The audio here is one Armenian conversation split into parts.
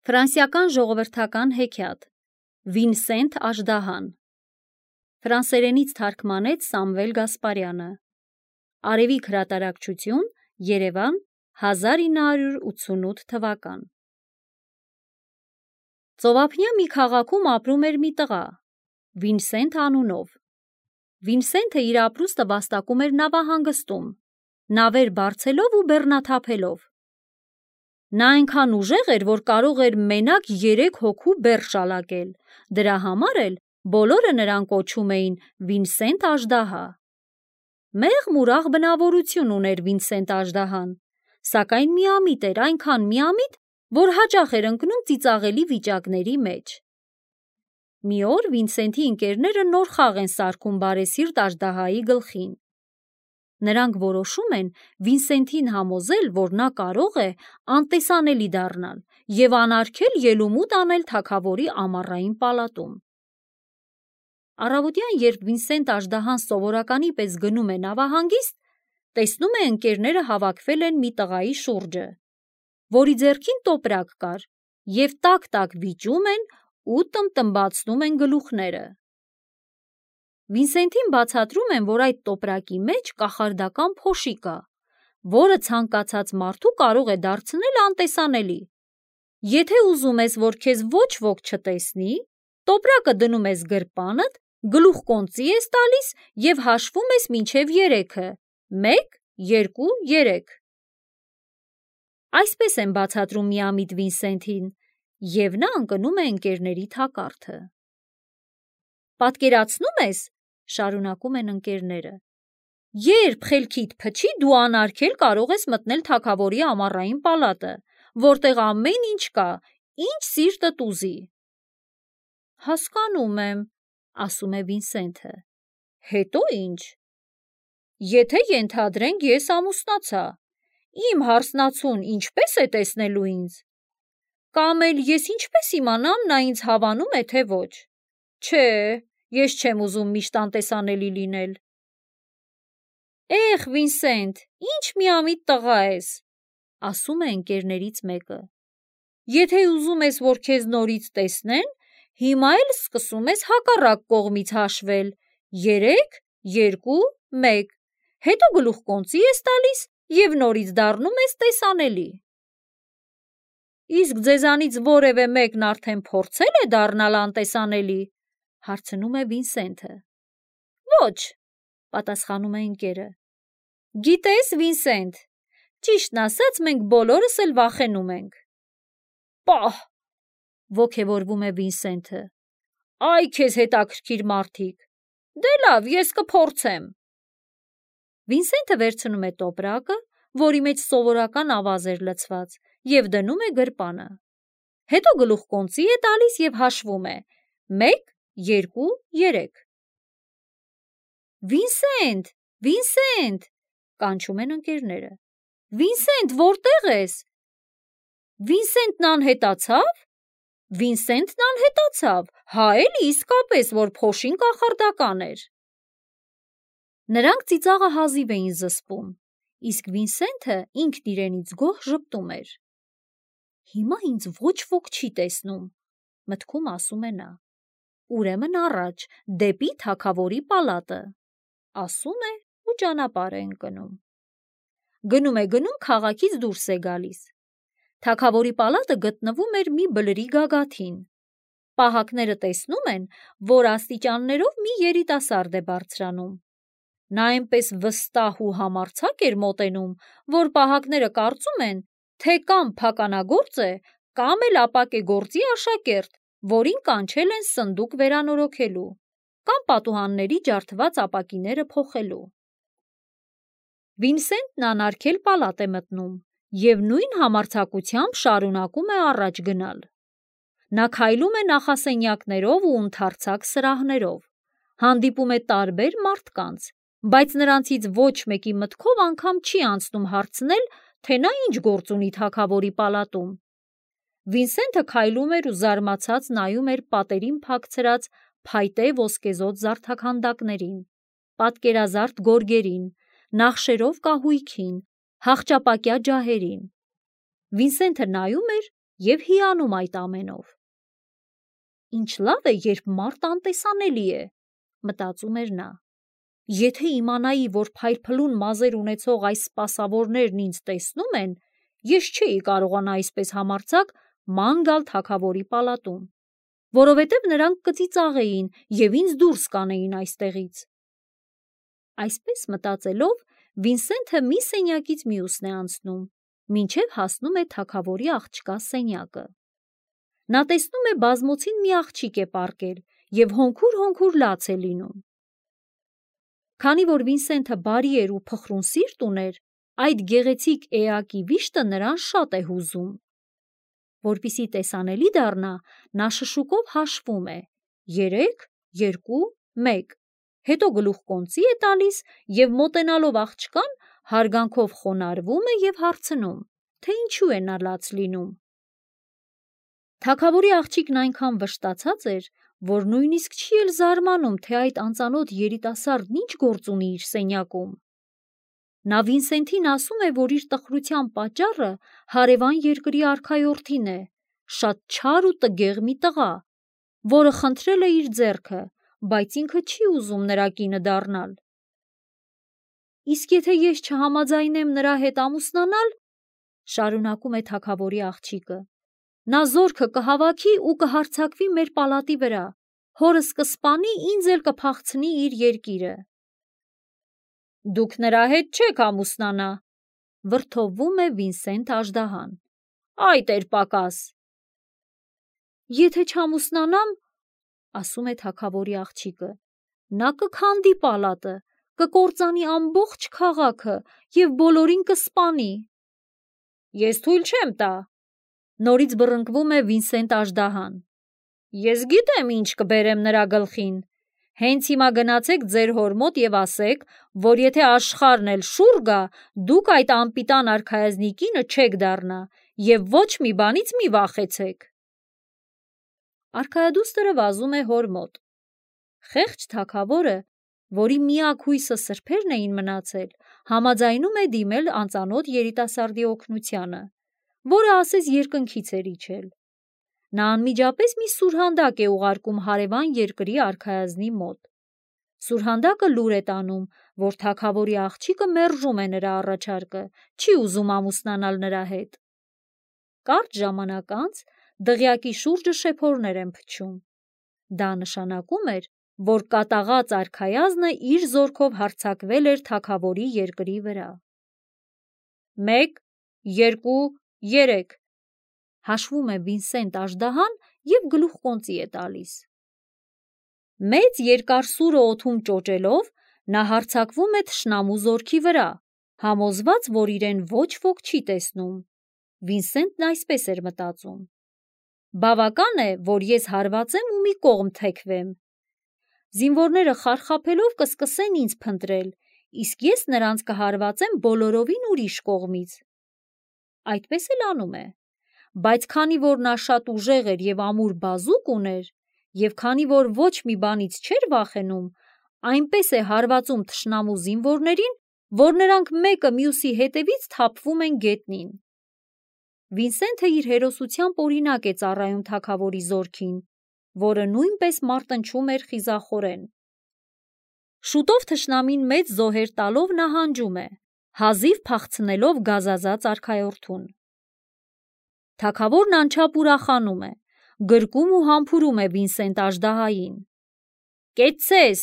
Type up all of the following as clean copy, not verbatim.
Ֆրանսիական ժողովրդական հեքիաթ Վինսենտ Աժդահան Ֆրանսերենից թարգմանեց Սամվել Գասպարյանը Արևիկ հրատարակչություն Երևան 1988 թվական Ծովափնյա մի քաղաքում ապրում էր մի տղա Վինսենտ անունով Վինսենտը իր ապրուստը վաստակում էր նավահանգստում նավեր բարձելով ու բեռնաթափելով Նա այնքան ուժեղ էր, որ կարող էր մենակ 3 հոգու բեռ շալակել, դրա համար էլ բոլորը նրան կոչում էին Վինսենտ Աժդահա։ Մեղմ ուրախ բնավորություն ուներ Վինսենտ Աժդահան, սակայն միամիտ էր, այնքան միամիտ, որ հաճախ էր ընկնում ծիծաղելի վիճակների մեջ։ Մի օր Վինսենտի ընկերները նոր խաղ են սարքում բարեսիրտ Աժդահայի գլխին։ Նրանք որոշում են Վինսենտին համոզել, որ նա կարող է անտեսանելի դառնալ և անարգել ելումուտ անել թագավորի ամառային պալատում։ Առավոտյան, երբ Վինսենտ Աժդահան սովորականի պես գնում է նավահանգիստ, տեսնում է ընկերները հավաքվել են մի տղայի շուրջը, որի ձեռքին տոպրակ կար, և տակ-տակ վիճում են ու տմբտմբացնում են գլուխները։ Վինսենտին բացատրում են, որ այդ տոպրակի մեջ կախարդական փոշի կա, որը ցանկացած մարդու կարող է դարձնել անտեսանելի։ Եթե ուզում ես, որ քեզ ոչ ոք չտեսնի, տոպրակը դնում ես գրպանդ, գլուխկոնծի ես տալիս և հաշվում ես մինչև 3-ը՝ 1, 2, 3։ Այսպես են բացատրում միամիտ Վինսենտին, և նա ընկնում է ընկերների թակարդը։ Պատկերացնում ես, շարունակում են ընկերները, երբ խելքիդ փչի, դու անարգել կարող ես մտնել թագավորի ամառային պալատը, որտեղ ամեն ինչ կա, ինչ սիրտդ ուզի։ Հասկանում եմ, ասում է Վինսենտը, հետո ինչ։ Եթե ենթադրենք ես ամուսնացա, իմ հարսնացուն ինչպե՞ս է տեսնելու ինձ։ Կամ էլ ես ինչպե՞ս իմանամ նա ինձ հավանում է, թե ոչ։ Չէ, ես չեմ ուզում միշտ անտեսանելի լինել։ Էխ, Վինսենտ, ինչ միամիտ տղա ես, ասում է ընկերներից մեկը։ Եթե ուզում ես, որ քեզ նորից տեսնեն, հիմա էլ սկսում ես հակառակ կողմից հաշվել՝ 3, 2, 1, հետո գլուխկոնծի ես տալիս և նորից դառնում ես տեսանելի։ Իսկ ձեզանից որևէ մեկն արդեն փորձե՞լ է դառնալ անտեսանելի, հարցնում է Վինսենտը։ Ոչ, պատասխանում է ընկերը։ Գիտես, Վինսենտ, ճիշտն ասած, մենք բոլորս էլ վախենում ենք։ Պահ, ոգևորվում է Վինսենտը։ Այ քեզ հետաքրքիր մարդիկ։ Դե լավ, ես կփորձեմ։ Վինսենտը վերցնում է տոպրակը, որի մեջ սովորական ավազ էր լցված, և դնում է գրպանը։ Հետո գլուխկոնծի է տալիս և հաշվում է՝ 1, 2, 3։ Վինսենտ, Վինսենտ, կանչում են ընկերները։ Վինսենտ, որտե՞ղ ես։ Վինսենտն անհետացավ։ Վինսենտն անհետացավ, հա էլի իսկապես, որ փոշին կախարդական էր։ Նրանք ծիծաղը հազիվ էին զսպում, իսկ Վինսենտը ինքն իրենից գոհ ժպտում էր։ Հիմա ինձ ոչ ոք չի տեսնում, մտքում ասում է նա։ Ուրեմն առաջ, դեպի թագավորի պալատը, ասում է ու ճանապարհ է ընկնում։ Գնում է, քաղաքից դուրս է գալիս։ Թագավորի պալատը գտնվում էր մի բլրի գագաթին։ Պահակները տեսնում են, որ աստիճաններով մի երիտասարդ է բարձրանում։ Նա այնպես վստահ ու համարձակ էր մոտենում, որ պահակները կարծում են, թե կամ փականագործ է, կամ էլ ապակե գործի աշակերտ, որին կանչել են սնդուկ վերանորոգելու, կամ պատուհանների ջարդված ապակիները փոխելու։ Վինսենտն անարգել պալատ է մտնում և նույն համարձակությամբ շարունակում է առաջ գնալ։ Նա քայլում է նախասենյակներով ու ընդարձակ սրահներով, հանդիպում է տարբեր մարդկանց, բայց նրանցից ոչ մեկի մտքով անգամ չի անցնում հարցնել, թե նա ինչ գործ ունի թագավորի պալատում։ Վինսենտը քայլում էր ու զարմացած նայում էր պատերին փակցրած փայտե ոսկեզօծ զարդաքանդակներին, պատկերազարդ գորգերին, նախշերով կահույքին, հախճապակյա ջահերին։ Վինսենտը նայում էր և հիանում այդ ամենով։ Ինչ լավ է, երբ մարդ անտեսանելի է, մտածում էր նա։ Եթե իմանայի, որ փայլփլուն մազեր ունեցող այս սպասավորներն ինձ տեսնում են, ես չէի կարողանա այսպես համարձակ ման գալ թագավորի պալատում, որովհետև նրանք կծիծաղեին և ինձ դուրս կանեին այստեղից։ Այսպես մտածելով, Վինսենթը մի սենյակից մյուսն է անցնում, մինչև հասնում է թագավորի աղջկա սենյակը։ Նա տեսնում է բազմոցին մի աղջիկ է պառկել և հոնքուր լաց է լինում։ Քանի որ Վինսենթը բարի էր ու փխրուն սիրտ ուներ, այդ գեղեցիկ էակի վիշտը նրան շատ է հուզում։ Որպեսզի տեսանելի դառնա, նա շշուկով հաշվում է 3, 2, 1, հետո գլուխկոնծի է տալիս և մոտենալով աղջկան հարգանքով խոնարհվում է և հարցնում, թե ինչու է նա լաց լինում։ Թագավորի աղջիկն այնքան վշտացած էր, որ նույնիսկ չի էլ զարմանում, թե այդ անծանոթ երիտասարդն ինչ գործ ունի իր սենյակում։ Նա Վինսենթին ասում է, որ իր տխրության պատճառը հարևան երկրի արքայորդին է, շատ չար ու տգեղ մի տղա, որը խնդրել է իր ձեռքը, բայց ինքը չի ուզում նրա կինը դառնալ։ Իսկ եթե ես չհամաձայնեմ նրա հետ ամուսնանալ, շարունակում է թագավորի աղջիկը, նա զորքը կհավաքի ու կհարձակվի մեր պալատի վրա, հորս կսպանի, ինձ էլ կփախցնի իր երկիրը։ Դուք նրա հետ չեք ամուսնանա, վրդովվում է Վինսենտ Աժդահան։ Այդ էր պակաս։ Եթե չամուսնանամ, ասում է թագավորի աղջիկը, նա կքանդի պալատը, կկործանի ամբողջ քաղաքը և բոլորին կսպանի։ Ես թույլ չեմ տա, նորից բռնկվում է Վինսենտ Աժդահան։ Ես գիտեմ, ինչ կբերեմ նրա գլխին։ Հենց հիմա գնացեք ձեր հոր մոտ և ասեք, որ եթե աշխարհն էլ շուռ գա, դուք այդ անպիտան արքայազնի կինը չեք դառնա և ոչ մի բանից մի վախեցեք։ Արքայադուստրը վազում է հոր մոտ։ Խեղճ թագավորը, որի միակ հույսը սրբերն էին մնացել, համաձայնում է դիմել անծանոթ երիտասարդի օգնությանը, որը ասես երկնքից էր իջել։ Նա անմիջապես մի սուրհանդակ է ուղարկում հարևան երկրի արքայազնի մոտ։ Սուրհանդակը լուր է տանում, որ թագավորի աղջիկը մերժում է նրա առաջարկը, չի ուզում ամուսնանալ նրա հետ։ Կարճ ժամանակ անց դղյակի շուրջը շեփորներ են փչում։ Դա նշանակում էր, որ կատաղած արքայազնը իր զորքով հարձակվել էր թագավորի երկրի վրա։ 1, 2, 3 հաշվում է Վինսենտ Աժդահան և գլուխկոնծի է տալիս։ Մեծ երկար սուրը օդում ճոճելով, նա հարձակվում է թշնամու զորքի վրա, համոզված, որ իրեն ոչ ոք չի տեսնում։ Վինսենտն այսպես էր մտածում. բավական է, որ ես հարվածեմ ու մի կողմ թեքվեմ։ Զինվորները խարխափելով կսկսեն ինձ փնտրել, իսկ ես նրանց կհարվածեմ բոլորովին ուրիշ կողմից։ Այդպես էլ անում է։ Բայց քանի որ նա շատ ուժեղ էր և ամուր բազուկ ուներ, և քանի որ ոչ մի բանից չէր վախենում, այնպես է հարվածում թշնամու զինվորներին, որ նրանք մեկը մյուսի հետևից թափվում են գետնին։ Վինսենթը իր հերոսությամբ օրինակ է ծառայում թագավորի զորքին, որը նույնպես մարտնչում էր խիզախորեն։ Շուտով թշնամին մեծ զոհեր տալով նահանջում է, հազիվ փախցնելով գազազած արքայորդուն։ Թագավորն անչափ ուրախանում է, գրկում ու համբուրում է Վինսենտ Աժդահային։ Կեցցես,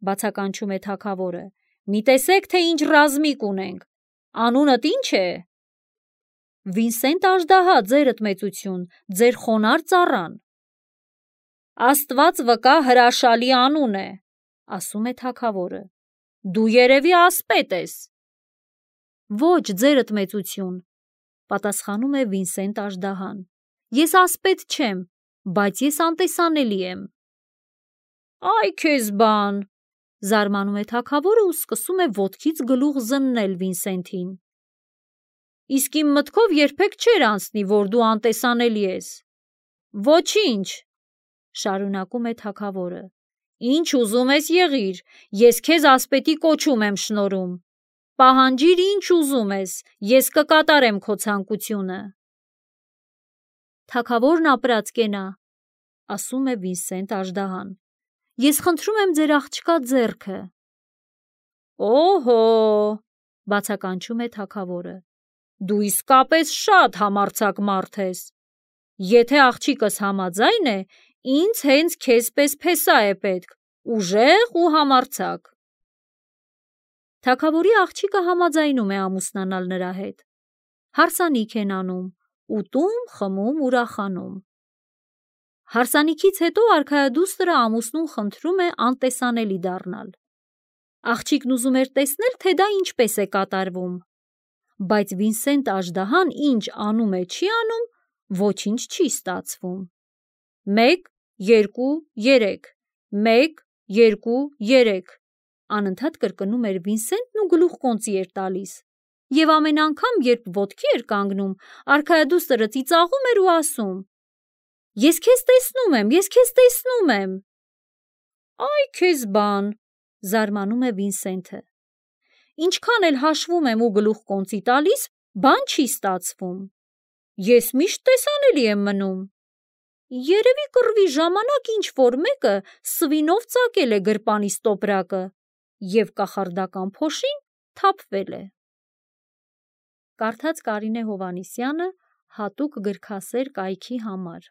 բացականչում է թագավորը, մի տեսեք, թե ինչ ռազմիկ ունենք, անունդ ինչ է։ Վինսենտ Աժդահա, ձերդ մեծություն, ձեր խոնարհ ծառան։ Աստված վկա, հրաշալի անուն է, ասում է թագավորը, դու երևի ասպետ ես։ Ոչ, ձերդ մեծություն, պատասխանում է Վինսենտ Աժդահան, ես ասպետ չեմ, բայց ես անտեսանելի եմ։ Այ քեզ բան, զարմանում է թագավորը ու սկսում է ոտքից գլուխ զննել Վինսենթին։ Իսկ իմ մտքով երբեք չէր անցնի, որ դու անտեսանելի ես։ Ոչինչ, շարունակում է թագավորը, ինչ ուզում ես եղիր, ես քեզ ասպետի կոչում եմ շնորհում։ Պահանջիր ինչ ուզում ես, ես կկատարեմ քո ցանկությունը։ թագավորն ապրած կենա, ասում է Վինսենտ Աժդահան։ Ես խնդրում եմ ձեր աղջկա ձեռքը։ Օհո, բացականչում է թագավորը։ Դու իսկապես շատ համարձակ մարդ ես։ Եթե աղջիկս համաձայն է, ինձ հենց քեզ պես փեսա է պետք, ուժեղ ու համարձակ։ Թագավորի աղջիկը համաձայնում է ամուսնանալ նրա հետ։ Հարսանիք են անում, ուտում, խմում, ուրախանում։ Հարսանիքից հետո արքայադուստրը ամուսնուն խնդրում է անտեսանելի դառնալ։ Աղջիկն ուզում էր տեսնել, թե դա ինչպես է կատարվում, բայց Վինսենտ Աժդահան ինչ անում է, չի անում, ոչինչ չի ստացվում։ 1, 2, 3, 1, 2, 3 անընդհատ կրկնում էր Վինսենտն ու գլուխկոնծի էր տալիս։ Եվ ամեն անգամ, երբ ոտքի էր կանգնում, արքայադուստրը ծիծաղում էր ու ասում. Ես քեզ տեսնում եմ, ես քեզ տեսնում եմ։ Այ քեզ բան, զարմանում է Վինսենտը։ Ինչքան էլ հաշվում եմ ու գլուխկոնծի տալիս, բան չի ստացվում։ Ես միշտ տեսանելի եմ մնում։ Երևի կռվի ժամանակ ինչ-որ մեկը սվինով ծակել է գրպանիս տոպրակը և կախարդական փոշին թափվել է։ Կարդաց Կարինե Հովհաննիսյանը հատուկ գրքասեր կայքի համար։